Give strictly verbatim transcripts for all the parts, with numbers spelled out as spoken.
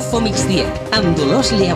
Info Migdia, amb Dolors Lleu.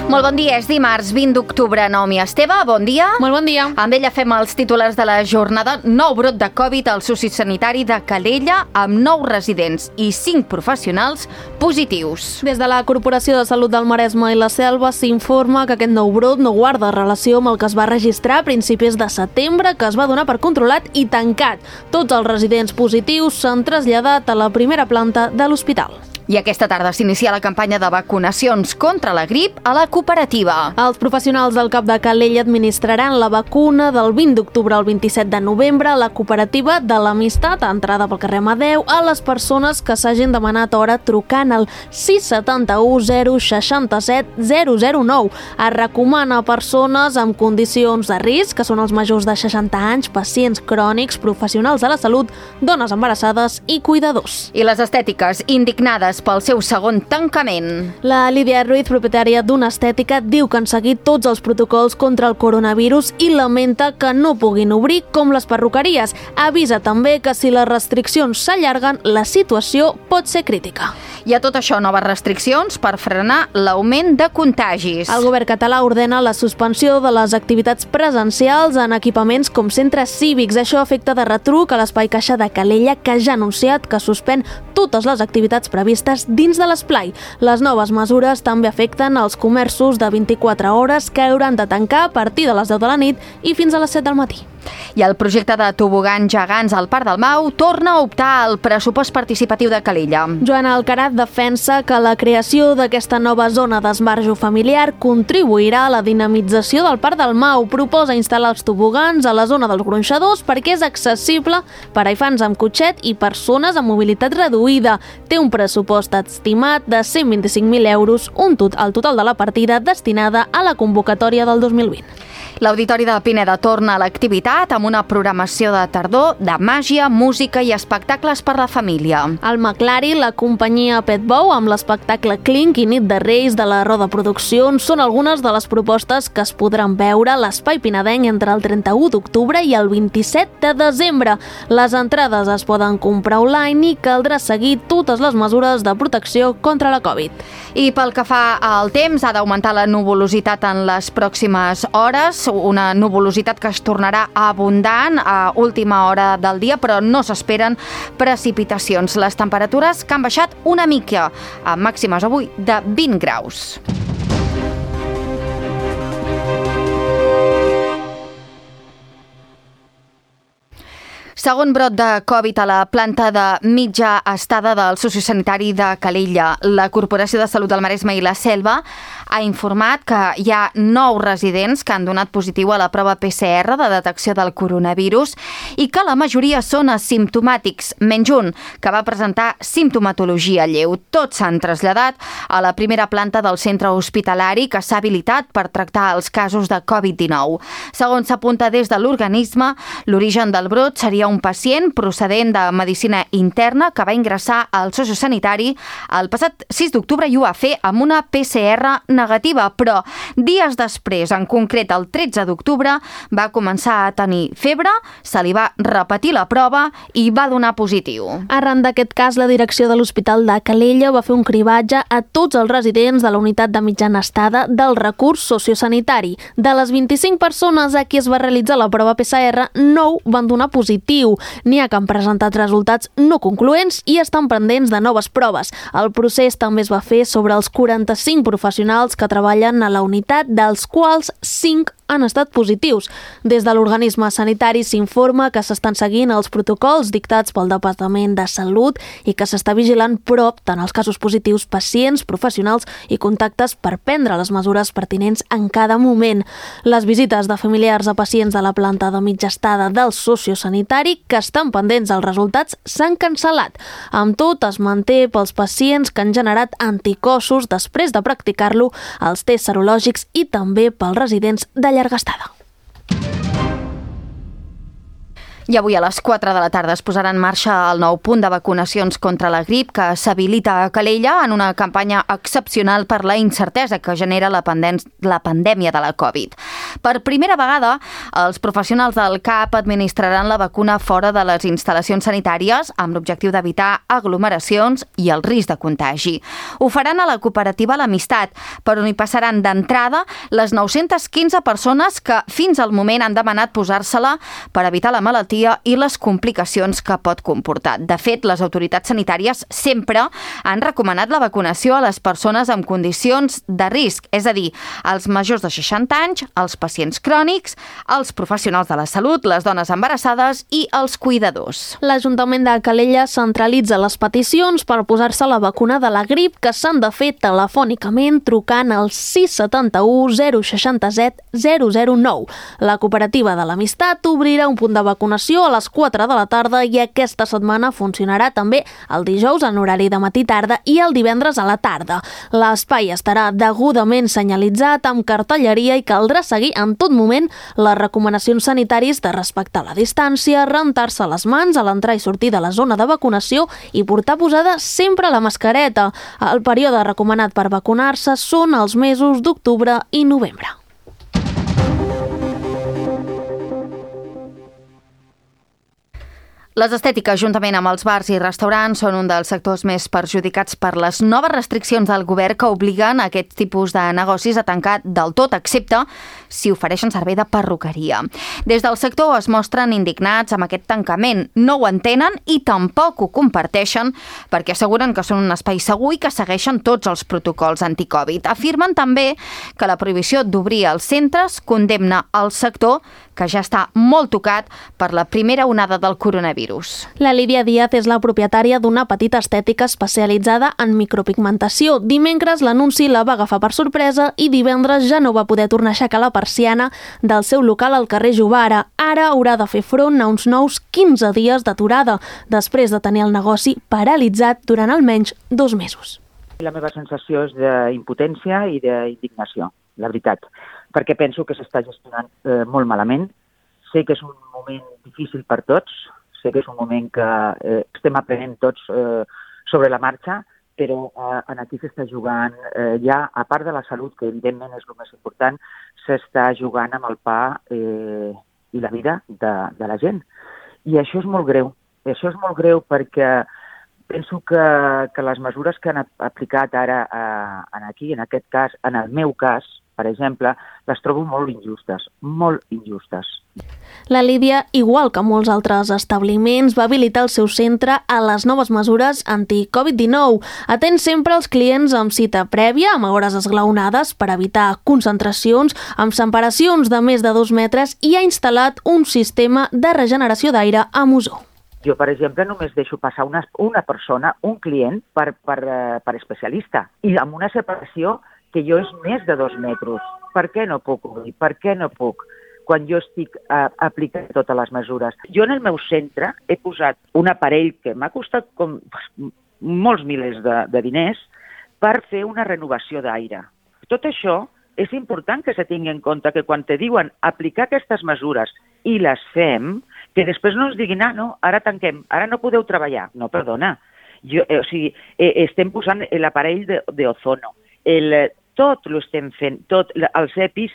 Molt bon dia, és dimarts vint d'octubre. Naomi Esteve, bon dia. Molt bon dia. Amb ella fem els titulars de la jornada. Nou brot de Covid al sociosanitari de Calella amb nou residents i cinc professionals positius. Des de la Corporació de Salut del Maresme i la Selva s'informa que aquest nou brot no guarda relació amb el que es va registrar a principis de setembre, que es va donar per controlat i tancat. Tots els residents positius s'han traslladat a la primera planta de l'hospital. I aquesta tarda s'inicia la campanya de vacunacions contra la grip a la cooperativa. Els professionals del CAP de Calella administraran la vacuna del vint d'octubre al vint-i-set de novembre a la cooperativa de l'Amistat, a entrada pel carrer Amadeu, a les persones que s'hagin demanat hora trucant al sis set u zero sis set zero zero nou. Es recomana a persones amb condicions de risc, que són els majors de seixanta anys, pacients crònics, professionals de la salut, dones embarassades i cuidadors. I les estètiques indignades pel seu segon tancament. La Lídia Ruiz, propietària d'una estètica, diu que han seguit tots els protocols contra el coronavirus i lamenta que no puguin obrir com les perruqueries. Avisa també que si les restriccions s'allarguen, la situació pot ser crítica. I a tot això, noves restriccions per frenar l'augment de contagis. El govern català ordena la suspensió de les activitats presencials en equipaments com centres cívics. Això afecta de retruc a l'Espai Caixa de Calella, que ja ha anunciat que suspèn totes les activitats previstes dins de l'esplai. Les noves mesures també afecten els comerços de vint-i-quatre hores, que hauran de tancar a partir de les deu de la nit i fins a les set del matí. I el projecte de tobogans gegants al Parc del Mau torna a optar al pressupost participatiu de Calella. Joana Alcaraz defensa que la creació d'aquesta nova zona d'esbarjo familiar contribuirà a la dinamització del Parc del Mau. Proposa instal·lar els tobogans a la zona dels gronxadors perquè és accessible per a infants amb cotxet i persones amb mobilitat reduïda. Té un pressupost estimat de cent vint-i-cinc mil euros, un tot, el total de la partida destinada a la convocatòria del dos mil vint. L'Auditori de Pineda torna a l'activitat amb una programació de tardor de màgia, música i espectacles per la família. El Maclari, la companyia Petbou, amb l'espectacle Clink i Nit de Reis de la Roda Produccions, són algunes de les propostes que es podran veure a l'Espai Pinedenc entre el trenta-u d'octubre i el vint-i-set de desembre. Les entrades es poden comprar online i caldrà seguir totes les mesures de protecció contra la Covid. I pel que fa al temps, ha d'augmentar la nuvolositat en les pròximes hores, una nuvolositat que es tornarà abundant a última hora del dia, però no s'esperen precipitacions. Les temperatures que han baixat una mica, amb màximes avui de vint graus. Segon brot de Covid a la planta de mitja estada del sociosanitari de Calella. La Corporació de Salut del Maresme i la Selva ha informat que hi ha nou residents que han donat positiu a la prova P C R de detecció del coronavirus i que la majoria són asimptomàtics, menys un, que va presentar simptomatologia lleu. Tots s'han traslladat a la primera planta del centre hospitalari que s'ha habilitat per tractar els casos de Covid dinou. Segons s'apunta des de l'organisme, l'origen del brot seria un pacient procedent de medicina interna que va ingressar al sociosanitari el passat sis d'octubre i ho va fer amb una P C R negativa, però dies després, en concret el tretze d'octubre, va començar a tenir febre, se li va repetir la prova i va donar positiu. Arran d'aquest cas, la direcció de l'Hospital de Calella va fer un cribatge a tots els residents de la unitat de mitjana estada del recurs sociosanitari. De les vint-i-cinc persones a qui es va realitzar la prova P C R, nou van donar positiu. N'hi ha que han presentat resultats no concloents i estan pendents de noves proves. El procés també es va fer sobre els quaranta-cinc professionals que treballen a la unitat, dels quals cinc han estat positius. Des de l'organisme sanitari s'informa que s'estan seguint els protocols dictats pel Departament de Salut i que s'està vigilant prop tant els casos positius, pacients, professionals i contactes per prendre les mesures pertinents en cada moment. Les visites de familiars a pacients de la planta de mitja estada del sociosanitari que estan pendents dels resultats s'han cancel·lat. Amb tot, es manté pels pacients que han generat anticossos després de practicar-lo els tests serològics i també pels residents de llarga estada. I avui a les quatre de la tarda es posarà en marxa el nou punt de vacunacions contra la grip que s'habilita a Calella en una campanya excepcional per la incertesa que genera la, pandèm la pandèmia de la Covid. Per primera vegada, els professionals del C A P administraran la vacuna fora de les instal·lacions sanitàries amb l'objectiu d'evitar aglomeracions i el risc de contagi. Ho faran a la cooperativa L'Amistat, per on hi passaran d'entrada les nou-centes quinze persones que fins al moment han demanat posar-se-la per evitar la malaltia i les complicacions que pot comportar. De fet, les autoritats sanitàries sempre han recomanat la vacunació a les persones amb condicions de risc, és a dir, als majors de seixanta anys, als pacients crònics, als professionals de la salut, les dones embarassades i els cuidadors. L'Ajuntament de Calella centralitza les peticions per posar-se la vacuna de la grip que s'han de fer telefònicament trucant al sis setanta u zero seixanta set zero zero nou. La cooperativa de l'Amistat obrirà un punt de vacunació a les quatre de la tarda i aquesta setmana funcionarà també el dijous en horari de matí-tarda i el divendres a la tarda. L'espai estarà degudament senyalitzat amb cartelleria i caldrà seguir en tot moment les recomanacions sanitàries de respectar la distància, rentar-se les mans a l'entrar i sortir de la zona de vacunació i portar posada sempre la mascareta. El període recomanat per vacunar-se són els mesos d'octubre i novembre. Les estètiques, juntament amb els bars i restaurants, són un dels sectors més perjudicats per les noves restriccions del govern que obliguen a aquest tipus de negocis a tancar del tot, excepte si ofereixen servei de perruqueria. Des del sector es mostren indignats amb aquest tancament. No ho entenen i tampoc ho comparteixen perquè asseguren que són un espai segur i que segueixen tots els protocols anticovid. Afirmen també que la prohibició d'obrir els centres condemna el sector, que ja està molt tocat per la primera onada del coronavirus. La Lídia Díaz és la propietària d'una petita estètica especialitzada en micropigmentació. Dimecres l'anunci la va agafar per sorpresa i divendres ja no va poder tornar a aixecar la persiana del seu local al carrer Jovara. Ara haurà de fer front a uns nous quinze dies d'aturada, després de tenir el negoci paralitzat durant almenys dos mesos. La meva sensació és d'impotència i d'indignació, la veritat, perquè penso que s'està gestionant eh, molt malament. Sé que és un moment difícil per tots, sé que és un moment que eh, estem aprenent tots eh, sobre la marxa, però eh, aquí s'està jugant eh, ja, a part de la salut, que evidentment és el més important, s'està jugant amb el pa eh, i la vida de, de la gent. I això és molt greu. Això és molt greu perquè penso que, que les mesures que han aplicat ara eh, aquí, en aquest cas, en el meu cas, per exemple, les trobo molt injustes, molt injustes. La Lídia, igual que molts altres establiments, va habilitar el seu centre a les noves mesures anti-Covid dinou. Atén sempre els clients amb cita prèvia, amb hores esglaonades per evitar concentracions, amb separacions de més de dos metres i ha instal·lat un sistema de regeneració d'aire amb ozó. Jo, per exemple, només deixo passar una, una persona, un client, per, per, per especialista, i amb una separació que jo és més de dos metres. Per què no puc obrir? Per què no puc? Quan jo estic eh, aplicant totes les mesures. Jo en el meu centre he posat un aparell que m'ha costat com molts milers de, de diners per fer una renovació d'aire. Tot això és important que se tingui en compte que quan te diuen aplicar aquestes mesures i les fem, que després no ens diguin, ah, no, ara tanquem, ara no podeu treballar. No, perdona. Jo, eh, o sigui, eh, estem posant l'aparell d'ozono. El, tot lo estem fent, tot, els EPIs.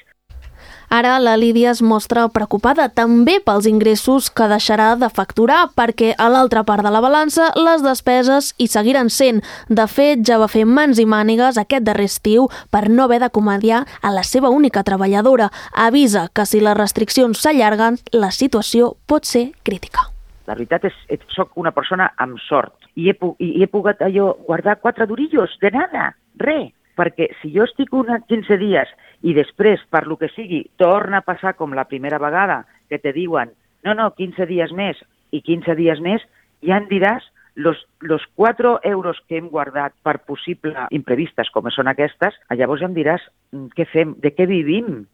Ara la Lídia es mostra preocupada també pels ingressos que deixarà de facturar perquè a l'altra part de la balança les despeses hi seguiran sent. De fet, ja va fer mans i mànigues aquest darrer estiu per no haver d'acomodiar a la seva única treballadora. Avisa que si les restriccions s'allarguen, la situació pot ser crítica. La veritat és que soc una persona amb sort i he, i he pogut allò guardar quatre durillos de nada, res. Perquè si jo estic uns quinze dies i després, per lo que sigui, torna a passar com la primera vegada, que te diuen, no, no, quinze dies més i quinze dies més, ja em diràs los, los quatre euros que hem guardat per possibles imprevistes com són aquestes, llavors ja em diràs què fem, de què vivim.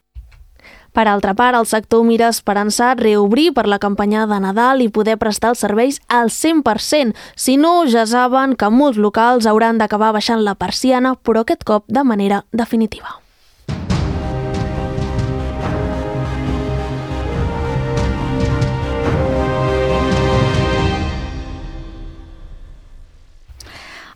Per altra part, el sector mira esperançat reobrir per la campanya de Nadal i poder prestar els serveis al cent per cent. Si no, ja saben que molts locals hauran d'acabar baixant la persiana, però aquest cop de manera definitiva.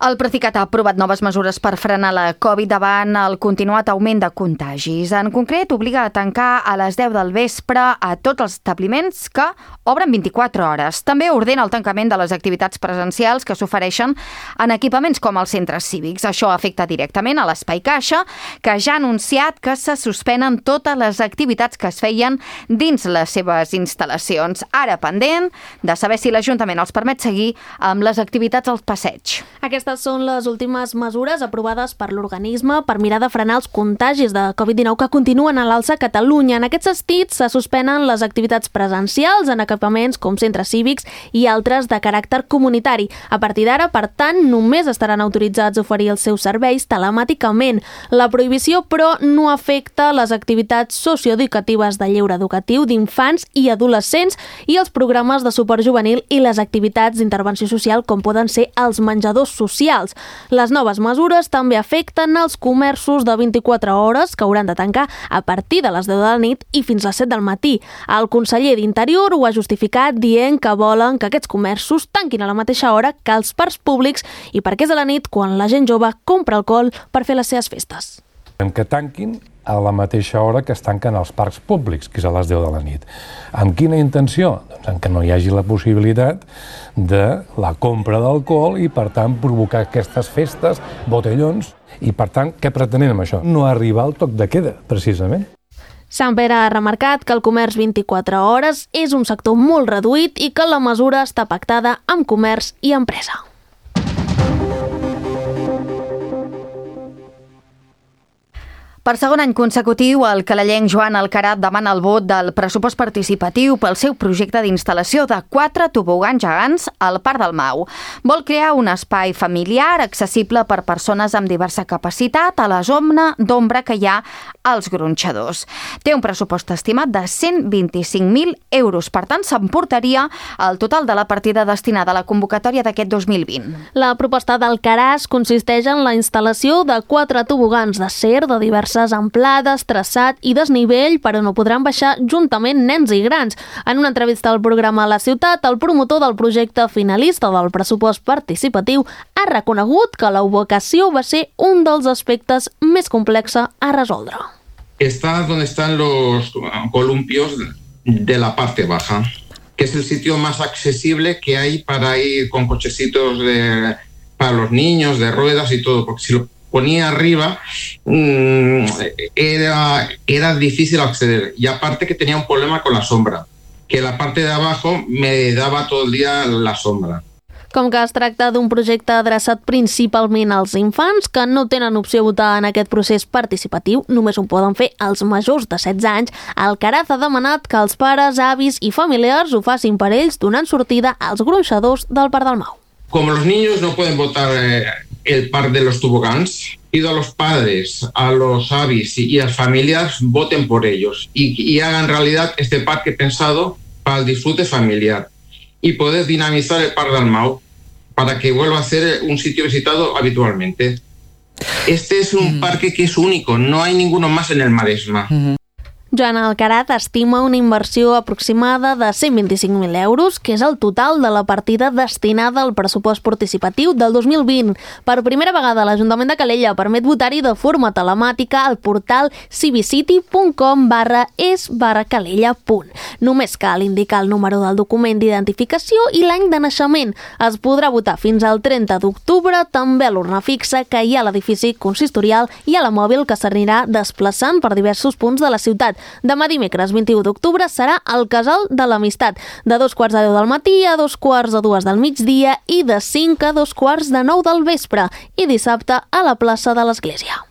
El Procicat ha aprovat noves mesures per frenar la Covid davant el continuat augment de contagis. En concret, obliga a tancar a les deu del vespre a tots els establiments que obren vint-i-quatre hores. També ordena el tancament de les activitats presencials que s'ofereixen en equipaments com els centres cívics. Això afecta directament a l'Espai Caixa, que ja ha anunciat que se suspenen totes les activitats que es feien dins les seves instal·lacions. Ara pendent de saber si l'Ajuntament els permet seguir amb les activitats al passeig. Aquestes són les últimes mesures aprovades per l'organisme per mirar de frenar els contagis de covid dinou que continuen a l'alça a Catalunya. En aquests sentits, se suspenen les activitats presencials en equipaments com centres cívics i altres de caràcter comunitari. A partir d'ara, per tant, només estaran autoritzats a oferir els seus serveis telemàticament. La prohibició, però, no afecta les activitats socioeducatives de lleure educatiu d'infants i adolescents i els programes de suport juvenil i les activitats d'intervenció social com poden ser els menjadors socials. Les noves mesures també afecten els comerços de vint-i-quatre hores que hauran de tancar a partir de les deu de la nit i fins les set del matí. El conseller d'Interior ho ha justificat dient que volen que aquests comerços tanquin a la mateixa hora que els parcs públics i perquè és a la nit quan la gent jove compra alcohol per fer les seves festes. Que tanquin a la mateixa hora que es tanquen els parcs públics, que és a les deu de la nit. Amb quina intenció? Doncs en que no hi hagi la possibilitat de la compra d'alcohol i, per tant, provocar aquestes festes, botellons, i, per tant, què pretenem amb això? No arribar al toc de queda, precisament. Sant Pere ha remarcat que el comerç vint-i-quatre hores és un sector molt reduït i que la mesura està pactada amb comerç i empresa. Per segon any consecutiu, el calellenc Joan Alcarat demana el vot del pressupost participatiu pel seu projecte d'instal·lació de quatre tobogans gegants al Parc del Mau. Vol crear un espai familiar accessible per persones amb diversa capacitat a la zona d'ombra que hi ha als gronxadors. Té un pressupost estimat de cent vint-i-cinc mil euros, per tant s'emportaria el total de la partida destinada a la convocatòria d'aquest dos mil vint. La proposta d'Alcarat consisteix en la instal·lació de quatre tobogans d'acer de diverses amplades, traçat i desnivell per on no podran baixar juntament nens i grans. En una entrevista al programa La Ciutat, el promotor del projecte finalista del pressupost participatiu ha reconegut que la ubicació va ser un dels aspectes més complexos a resoldre. Está donde están los columpios de la parte baja, que es el sitio más accesible que hay para ir con cochecitos de, para los niños, de ruedas y todo, porque si lo ponía arriba, mmm, era, era difícil acceder. Y aparte que tenía un problema con la sombra, que la parte de abajo me daba todo el día la sombra. Com que es tracta d'un projecte adreçat principalment als infants que no tenen opció a votar en aquest procés participatiu, només ho poden fer els majors de setze anys, Alcaraz ha demanat que els pares, avis i familiars ho facin per ells donant sortida als gronxadors del Parc del Mau. Como los niños no pueden votar eh, el par de los toboganes, pido a los padres, a los avis y a las familias voten por ellos y, y hagan realidad este parque pensado para el disfrute familiar y poder dinamizar el Parc del Mau para que vuelva a ser un sitio visitado habitualmente. Este es un mm. parque que es único, no hay ninguno más en el Maresma. Mm-hmm. Joan Alcarat estima una inversió aproximada de cent vint-i-cinc mil euros, que és el total de la partida destinada al pressupost participatiu del dos mil vint. Per primera vegada, l'Ajuntament de Calella permet votar-hi de forma telemàtica al portal civicity.com barra es barra calella punt. Només cal indicar el número del document d'identificació i l'any de naixement. Es podrà votar fins al trenta d'octubre, també a l'urna fixa que hi ha a l'edifici consistorial i a la mòbil que s'anirà desplaçant per diversos punts de la ciutat. Demà dimecres vint-i-u d'octubre serà el Casal de l'Amistat, de dos quarts de deu del matí a dos quarts de dues del migdia i de cinc a dos quarts de nou del vespre, i dissabte a la plaça de l'Església.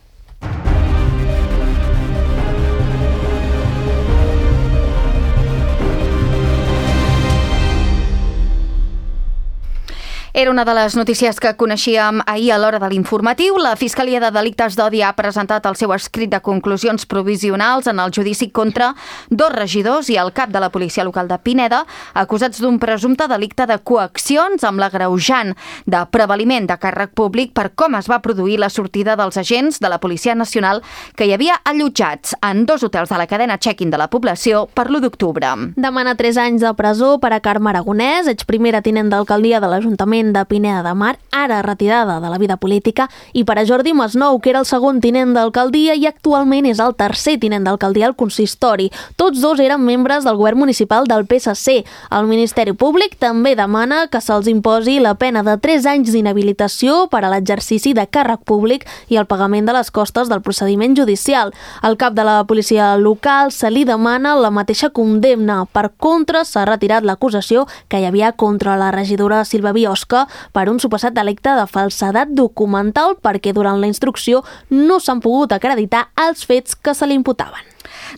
Era una de les notícies que coneixíem ahir a l'hora de l'informatiu. La Fiscalia de Delictes d'Odi ha presentat el seu escrit de conclusions provisionals en el judici contra dos regidors i el cap de la policia local de Pineda, acusats d'un presumpte delicte de coaccions amb l'agreujant de prevaliment de càrrec públic per com es va produir la sortida dels agents de la Policia Nacional que hi havia allotjats en dos hotels de la cadena check-in de la població per l'u d'octubre. Demana tres anys de presó per a Carme Aragonès, exprimera tinent d'alcaldia de l'Ajuntament l'Ajuntament de Pineda de Mar, ara retirada de la vida política, i per a Jordi Masnou, que era el segon tinent d'alcaldia i actualment és el tercer tinent d'alcaldia al consistori. Tots dos eren membres del govern municipal del P S C. El Ministeri Públic també demana que se'ls imposi la pena de tres anys d'inhabilitació per a l'exercici de càrrec públic i el pagament de les costes del procediment judicial. Al cap de la policia local se li demana la mateixa condemna. Per contra, s'ha retirat l'acusació que hi havia contra la regidora Sílvia Biosca per un suposat delicte de falsedat documental perquè durant la instrucció no s'han pogut acreditar els fets que se li imputaven.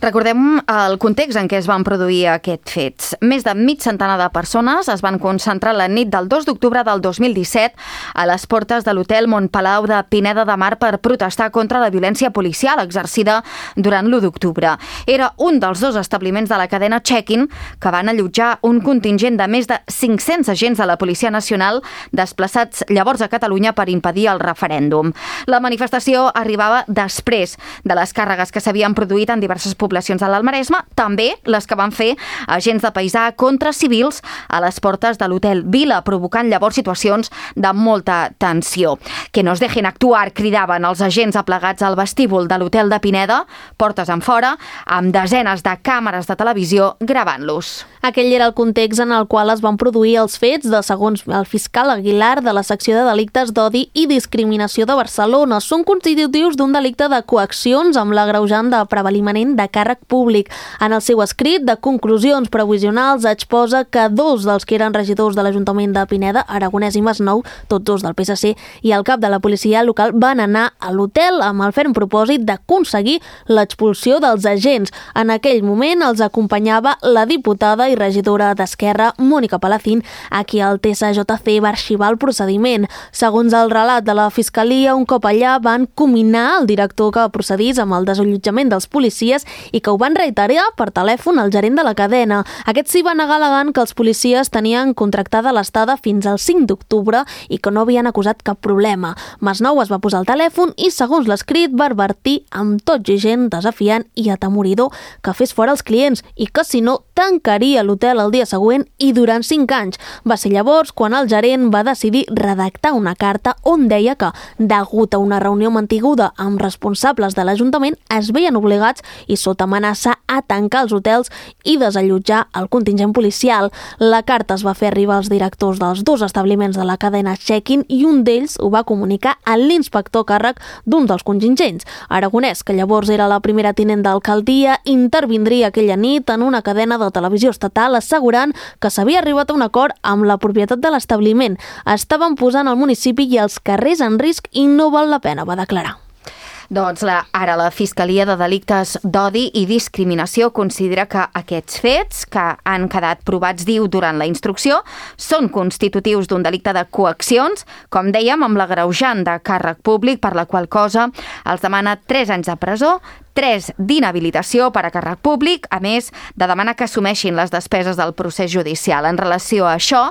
Recordem el context en què es van produir aquests fets. Més de mig centenar de persones es van concentrar la nit del dos d'octubre del dos mil disset a les portes de l'hotel Montpalau de Pineda de Mar per protestar contra la violència policial exercida durant l'u d'octubre. Era un dels dos establiments de la cadena Check-in que van allotjar un contingent de més de cinc-cents agents de la Policia Nacional desplaçats llavors a Catalunya per impedir el referèndum. La manifestació arribava després de les càrregues que s'havien produït en diverses poblacions de l'Almaresme, també les que van fer agents de paisà contra civils a les portes de l'hotel Vila, provocant llavors situacions de molta tensió. Que nos dejen actuar, cridaven els agents aplegats al vestíbul de l'hotel de Pineda, portes en fora, amb desenes de càmeres de televisió gravant-los. Aquell era el context en el qual es van produir els fets de, segons el fiscal Aguilar, de la secció de delictes d'odi i discriminació de Barcelona. Són constitutius d'un delicte de coaccions amb l'agreujant de prevalimament de càrrec públic. En el seu escrit de conclusions provisionals exposa que dos dels que eren regidors de l'Ajuntament de Pineda, Aragonès i Masnou, tots dos del P S C, i el cap de la policia local van anar a l'hotel amb el ferm propòsit d'aconseguir l'expulsió dels agents. En aquell moment els acompanyava la diputada i regidora d'Esquerra, Mònica Palacín, a qui el T S J C va arxivar el procediment. Segons el relat de la Fiscalia, un cop allà van cominar el director que procedís amb el desallotjament dels policies i que ho van reiterar per telèfon al gerent de la cadena. Aquest s'hi va negar alegant que els policies tenien contractada l'estada fins al cinc d'octubre i que no havien acusat cap problema. Masnou es va posar al telèfon i, segons l'escrit, va advertir amb tot gent desafiant i atemoridor que fes fora els clients i que, si no, tancaria l'hotel el dia següent i durant cinc anys. Va ser llavors quan el gerent va decidir redactar una carta on deia que, degut a una reunió mantinguda amb responsables de l'Ajuntament, es veien obligats i sota amenaça a tancar els hotels i desallotjar el contingent policial. La carta es va fer arribar als directors dels dos establiments de la cadena Check-in i un d'ells ho va comunicar a l'inspector càrrec d'un dels contingents. Aragonès, que llavors era la primera tinent d'alcaldia, intervindria aquella nit en una cadena de televisió estatal assegurant que s'havia arribat a un acord amb la propietat de l'establiment. Estaven posant el municipi i els carrers en risc i no val la pena, va declarar. Doncs la, ara la Fiscalia de Delictes d'Odi i Discriminació considera que aquests fets, que han quedat provats, diu, durant la instrucció, són constitutius d'un delicte de coaccions, com dèiem, amb l'agreujant de càrrec públic, per la qual cosa els demana tres anys de presó, tres d'inhabilitació per a càrrec públic, a més de demanar que assumeixin les despeses del procés judicial. En relació a això,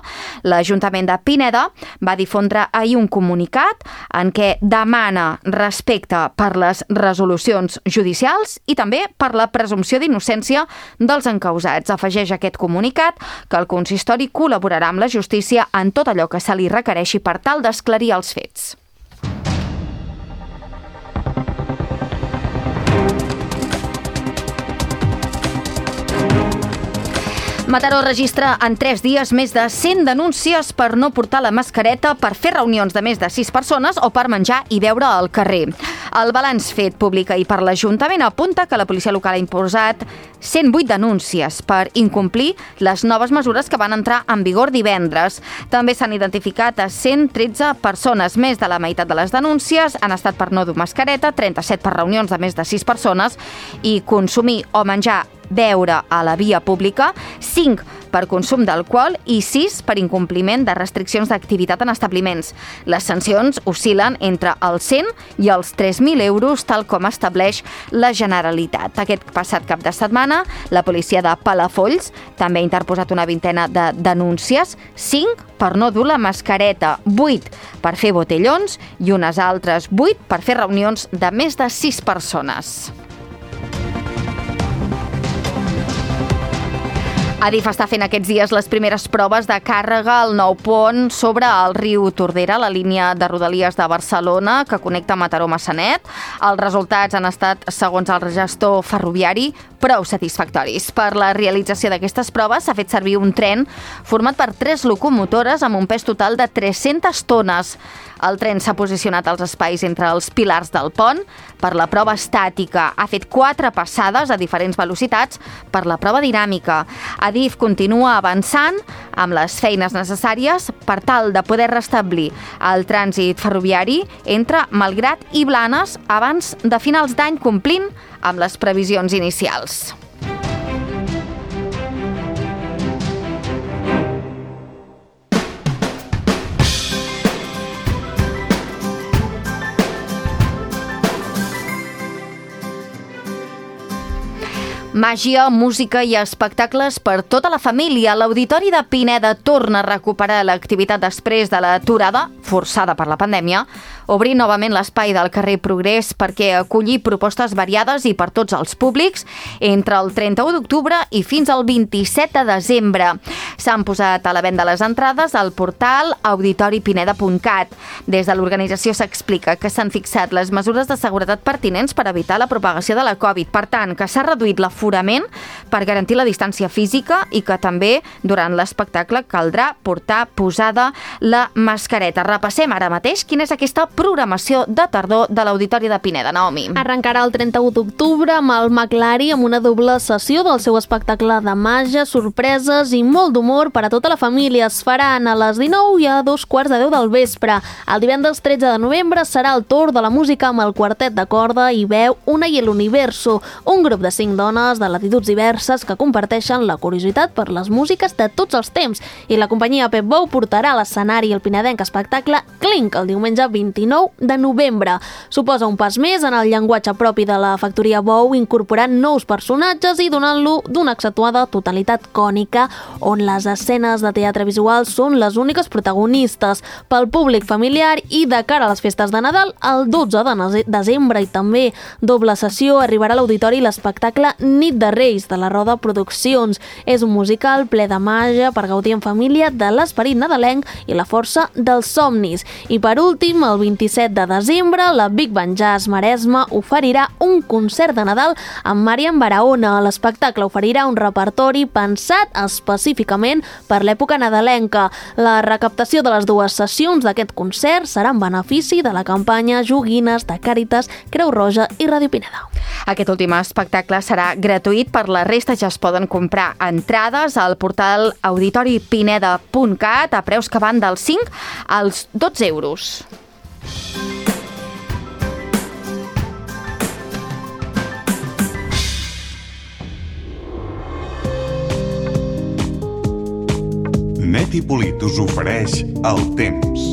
l'Ajuntament de Pineda va difondre ahir un comunicat en què demana respecte per les resolucions judicials i també per la presumpció d'innocència dels encausats. Afegeix aquest comunicat que el consistori col·laborarà amb la justícia en tot allò que se li requereixi per tal d'esclarir els fets. Mataró registra en tres dies més de cent denúncies per no portar la mascareta, per fer reunions de més de sis persones o per menjar i beure al carrer. El balanç fet públic ahir per l'Ajuntament apunta que la policia local ha imposat cent vuit denúncies per incomplir les noves mesures que van entrar en vigor divendres. També s'han identificat a cent tretze persones. Més de la meitat de les denúncies han estat per no dur mascareta, trenta-set per reunions de més de sis persones i consumir o menjar beure a la via pública, cinc per consum d'alcohol i sis per incompliment de restriccions d'activitat en establiments. Les sancions oscil·len entre els cent i els tres mil euros, tal com estableix la Generalitat. Aquest passat cap de setmana, la policia de Palafolls també ha interposat una vintena de denúncies, cinc per no dur la mascareta, vuit per fer botellons i unes altres vuit per fer reunions de més de sis persones. Adif està fent aquests dies les primeres proves de càrrega al nou pont sobre el riu Tordera, la línia de Rodalies de Barcelona que connecta Mataró amb Massanet. Els resultats han estat, segons el gestor ferroviari, prou satisfactoris. Per la realització d'aquestes proves s'ha fet servir un tren format per tres locomotores amb un pes total de tres-centes tones. El tren s'ha posicionat als espais entre els pilars del pont. Per la prova estàtica ha fet quatre passades a diferents velocitats per la prova dinàmica. Adif continua avançant amb les feines necessàries per tal de poder restablir el trànsit ferroviari entre Malgrat i Blanes abans de finals d'any, complint amb les previsions inicials. Màgia, música i espectacles per tota la família. L'Auditori de Pineda torna a recuperar l'activitat després de l'aturada, forçada per la pandèmia, obrir novament l'espai del carrer Progrés perquè acolli propostes variades i per tots els públics entre el trenta-u d'octubre i fins al vint-i-set de desembre. S'han posat a la venda les entrades al portal auditori pineda punt cat. Des de l'organització s'explica que s'han fixat les mesures de seguretat pertinents per evitar la propagació de la Covid. Per tant, que s'ha reduït l'aforament per garantir la distància física i que també durant l'espectacle caldrà portar posada la mascareta. Repassem ara mateix quina és aquesta programació de tardor de l'Auditori de Pineda, Naomi. Arrencarà el trenta-u d'octubre amb el McLari amb una doble sessió del seu espectacle de màgia, sorpreses i molt d'humor per a tota la família. Es faran a les dinou i a dos quarts de deu del vespre. El divendres tretze de novembre serà el torn de la música amb el quartet de corda i veu Una i el Universo, un grup de cinc dones de latituds diverses que comparteixen la curiositat per les músiques de tots els temps, i la companyia Pep Bou portarà a l'escenari el pinedenc espectacle Clink el diumenge vint-i-nou de novembre. Suposa un pas més en el llenguatge propi de la factoria Bou, incorporant nous personatges i donant-lo d'una accentuada totalitat cònica, on les escenes de teatre visual són les úniques protagonistes. Pel públic familiar i de cara a les festes de Nadal, el dotze de desembre i també doble sessió arribarà a l'auditori l'espectacle Nit de Reis de la Roda Produccions. És un musical ple de màgia per gaudir en família de l'esperit nadalenc i la força dels somnis. I per últim, el vint-i-set de desembre, la Big Band Jazz Maresme oferirà un concert de Nadal amb Marian Barahona. L'espectacle oferirà un repertori pensat específicament per l'època nadalenca. La recaptació de les dues sessions d'aquest concert serà en benefici de la campanya Joguines de Càritas, Creu Roja i Ràdio Pineda. Aquest últim espectacle serà gratuït, per la resta ja es poden comprar entrades al portal auditori pineda punt cat a preus que van dels cinc als dotze euros. Net i Polit us ofereix el temps.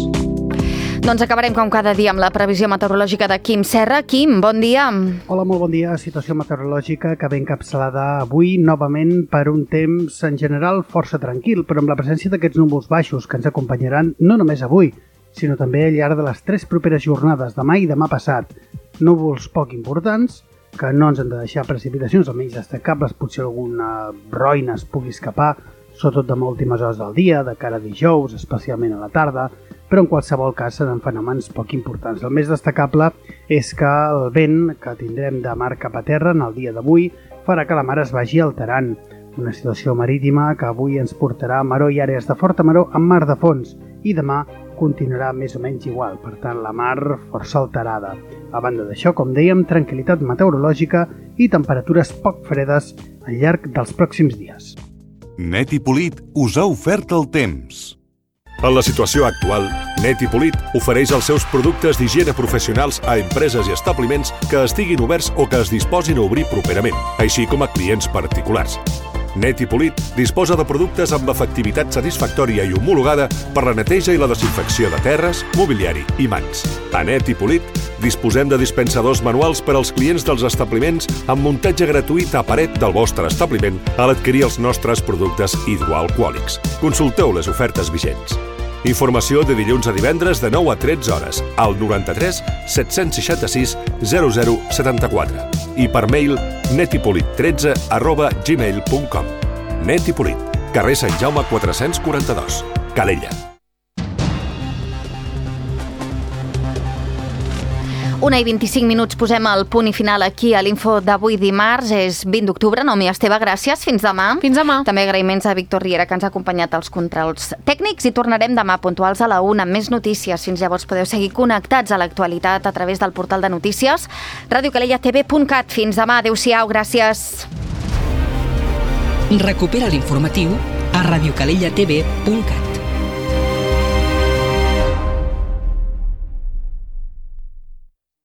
Doncs acabarem com cada dia amb la previsió meteorològica de Quim Serra. Quim, bon dia. Hola, molt bon dia. Situació meteorològica que ve encapçalada avui novament per un temps en general força tranquil, però amb la presència d'aquests núvols baixos que ens acompanyaran no només avui, sinó també al llarg de les tres properes jornades, demà i demà passat. Núvols poc importants, que no ens han de deixar precipitacions, almenys destacables, potser alguna roina es pugui escapar, sobretot demà últimes hores del dia, de cara a dijous, especialment a la tarda, però en qualsevol cas seran fenòmens poc importants. El més destacable és que el vent que tindrem de mar cap a terra en el dia d'avui farà que la mar es vagi alterant. Una situació marítima que avui ens portarà a maror i àrees de forta maror amb mar de fons, i demà continuarà més o menys igual, per tant la mar força alterada. A banda d'això, com dèiem, tranquil·litat meteorològica i temperatures poc fredes al llarg dels pròxims dies. Net i Polit us ha ofert el temps. En la situació actual, Net i Polit ofereix els seus productes d'higiene professionals a empreses i establiments que estiguin oberts o que es disposin a obrir properament, així com a clients particulars. Net i Polit disposa de productes amb efectivitat satisfactòria i homologada per la neteja i la desinfecció de terres, mobiliari i mans. A Net i Polit disposem de dispensadors manuals per als clients dels establiments amb muntatge gratuït a paret del vostre establiment a l'adquirir els nostres productes hidroalcohòlics. Consulteu les ofertes vigents. Informació de dilluns a divendres de nou a tretze hores al noranta-tres set-cents seixanta-sis zero zero setanta-quatre i per mail netipolit tretze arroba gmail punt com. Net i Polit. Carrer Sant Jaume quatre-cents quaranta-dos. Calella. Una i vint-i-cinc minuts, posem el punt i final aquí a l'info d'avui dimarts. És vint d'octubre. Nomi Esteve, gràcies. Fins demà. Fins demà. També agraïments a Víctor Riera, que ens ha acompanyat als controls tècnics, i tornarem demà puntuals a la una amb més notícies. Fins llavors podeu seguir connectats a l'actualitat a través del portal de notícies radio calella t v punt cat. Fins demà. Adéu-siau. Gràcies. Recupera l'informatiu a radio calella t v punt cat.